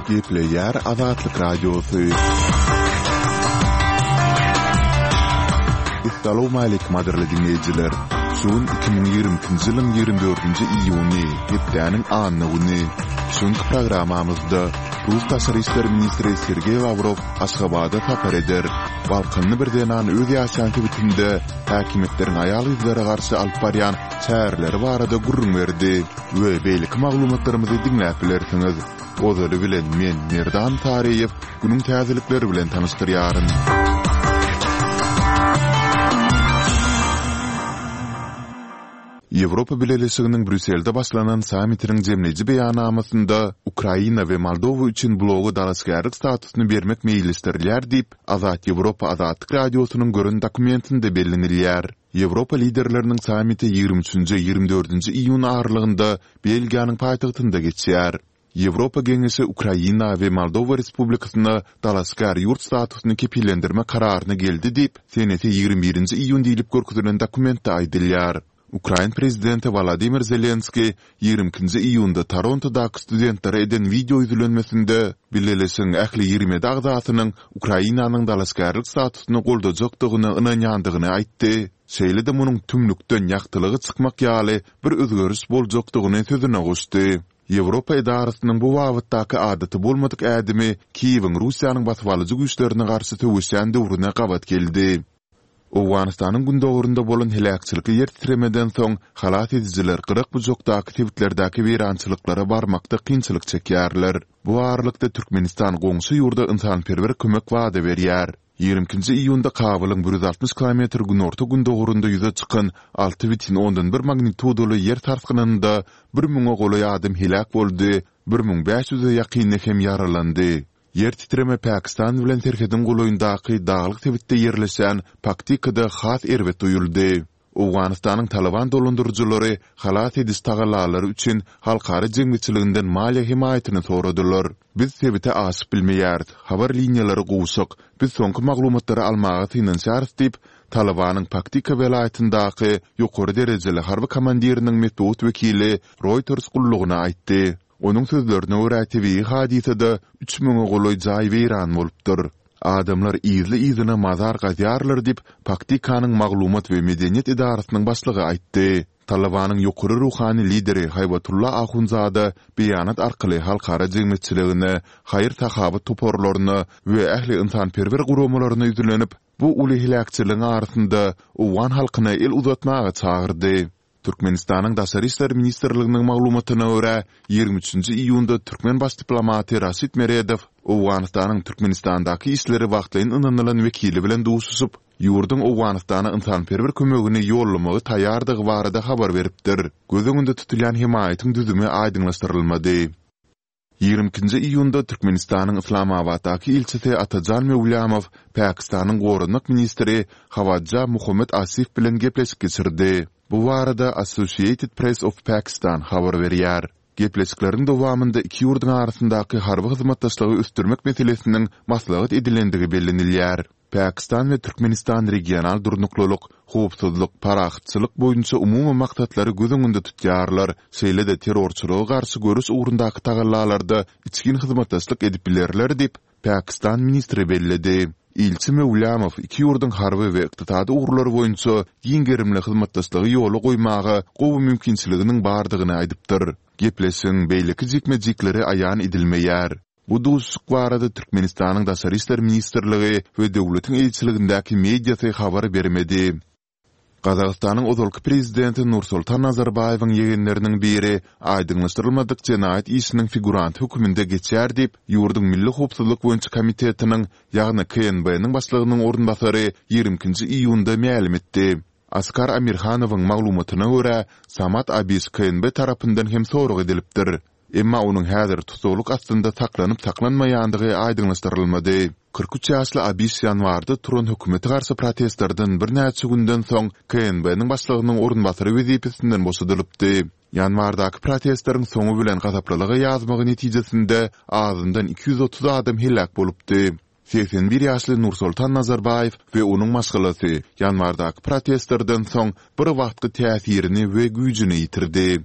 Gepleýär Azatlyk Radiosy. Essalawmaleýkim gadyrly diňleýjiler! Şu gün 2022-nji ýylyň 24-nji iýuny, hepdäniň anna güni. Şu günki programmamyzda rus daşary işler ministri Sergeý Lawrow Aşgabada sapar eder. Balkanly bir zenan öz ýaşaýan sebitinde häkimiýetleriň aýal-gyzlara garşy alyp barýan çäreleri barada gürrüň berdi we beýleki maglumatlarymyzy diňläp bilersiňiz. Ozaly bilen men, Merdan Saryýew, günüň täzelikleri bilen tanyşdyrýaryn. Ýewropa Bileleşiginiň Brýusselde başlanan sammitiniň jemleýji beýannamasynda Ukraina we Moldowa üçin bloga dalaşgärlik statusyny bermek meýilleşdirilýär diýip, Azat Ýewropa Azatlyk Radiosynyň gören dokumentinde bellenilýär. Ýewropa liderleriniň sammiti 23-nji, 24-nji iýun aralygynda Belgiýanyň paýtagtynda geçýär. Ýewropa Geňeşi Ukraina we Moldowa Respublikasyna dalaşgär ýurt statusyny kepillendirmek kararyna geldi diýip, senesi 21-nji iýun diýlip görkezilen dokumentde aýdylýar. Ukrain prezidenti Wolodymyr Zelenskiý 22-nji iýunda Torontodaky studentlere eden wideo ýüzlenmesinde Bileleşigiň ähli 27 agzasynyň Ukrainanyň dalaşgärlik statusyny goldajakdygyna ynanýandygyny aýtdy, şeýle-de munuň tümlükden ýagtylyga çykmak ýaly bir özgeriş boljakdygyny sözüne goşdy. Ýewropa edarasynyň bu babatdaky adaty bolmadyk ädimi Kiýewiň Russiýanyň basybalyjy güýçlerine garşy söweşýän döwrüne gabat geldi. Owganystanyň gündogarynda bolan heläkçilikli ýer titremeden soň, halas edijiler gyrak-bujakdaky sebitlerdäki weýrançylyklara barmakda kynçylyk çekýärler. Bu aralykda Türkmenistan goňşy ýurda ynsanperwer kömek wada berýär. 22-nji iýunda Kabulyň 160 kilometr günorta-gündogarynda ýüze çykan 6,1 magnitudaly ýer sarsgynynda bir müňe golaý adam heläk boldy, 1500-e ýakyny hem ýaralandy. Ýer titreme Pakistan bilen serhediň golaýyndaky daglyk sebitde ýerleşýän Paktikada has erbet duýuldy. Owganystanyň Talyban dolandyryjylary halas ediş tagallalary üçin halkara jemgyýetçiliginden maliýe hemaýatyny soradylar. Biz sebite aşyp bilmeýäris, habar liniýalary gowşak, biz soňky maglumatlary almaga synanyşýarys diýip, Talybanyň Paktika welaýatyndaky ýokary derejeli harby komandiriniň metbugat wekili Reuters gullugyna aýtdy. Onuň sözlerine görä, tebigy hadysada üç müňe golaý jaý weýran bolupdyr. Adamlar yzly-yzyna mazar gazýarlar diýip, Paktikanyň maglumat we medeniýet edarasynyň başlygy aýtdy. Talybanyň ýokary ruhany lideri Haýbatulla Ahundzada beýanat arkaly halkara jemgyýetçiligine, haýyr-sahawat toparlaryna we ähli ynsanperwer guramalaryna ýüzlenip, bu uly heläkçiligiň arasynda owgan halkyna el uzatmaga çagyrdy. Türkmenistanyň Daşary işler ministrliginiň maglumatyna görä, 23-nji iýunda türkmen baş diplomaty Raşid Meredow Owganystanyň Türkmenistandaky işleri wagtlaýyn ynanylan wekili bilen duşuşyp, ýurduň Owganystana ynsanperwer kömegini ýollamaga taýýardygy barada habar beripdir. Göz öňünde tutulýan hemaýatyň düzümi aýdyňlaşdyrylmady. 22-nji iýunda Türkmenistanyň Yslamabatdaky ilçisi Atajan Möwlamow Pakistanyň goranmak ministri Hawadja Muhammad Asif bilen gepleşik geçirdi. Bu barada Associated Press of Pakistan habar berýär. Gepleşikleriň dowamynda iki ýurduň arasyndaky harby hyzmatdaşlygy ösdürmek meselesiniň maslahat edilendigi bellenilýär. Pakistan we Türkmenistan regional durnuklylyk, howpsuzlyk, parahatçylyk boýunça umumy maksatlary göz öňünde tutýarlar, şeýle-de terrorçylyga garşy göreş ugrundaky tagallalarda içgin hyzmatdaşlyk edip bilerler diýip, Pakistan ministri belledi. Ilçi Möwlamow iki ýurduň harby we ykdysady ugurlar boýunça giň gerimli hyzmatdaşlygy ýola goýmaga gowy mümkinçiliginiň bardygyny aýdypdyr. Gepleşigiň beýleki jikme-jikleri aýan edilmeýär. Bu duşuşyk barada Türkmenistanyň Daşary işler ministrligi we döwletiň eýeçiligindäki mediasy habar bermedi. Gazagystanyň ozalky prezidenti Nursultan Nazarbaýewiň ýegenleriniň biri aýdyňlaşdyrylmadyk jenaýat işiniň figuranty hökmünde geçýär diýip, ýurduň Milli howpsuzlyk boýunça komitetiniň, ýagny KNB-niň başlygynyň orunbasary 22-nji iýunda mälim etdi. Askar Amirhanowyň maglumatyna görä, Samat Abiş KNB tarapyndan hem sorag edilipdir. Emma onuň häzir tussaglyk astynda saklanyp-saklanmaýandygy aýdyňlaşdyrylmady. 43 ýaşly Abiş ýanwarda turan hökümete garşy protestlerden birnäçe günden soň KNB-niň başlygynyň orunbasary wezipesinden boşadylypdy. Ýanwardaky protestleriň soňy bilen gazaplylyga ýazmagy netijesinde azyndan 230 adam heläk bolupdy. 81 ýaşly Nursoltan Nazarbaýew we onuň maşgalasy ýanwardaky protestlerden soň bir wagtky täsirini we güýjüni ýitirdi.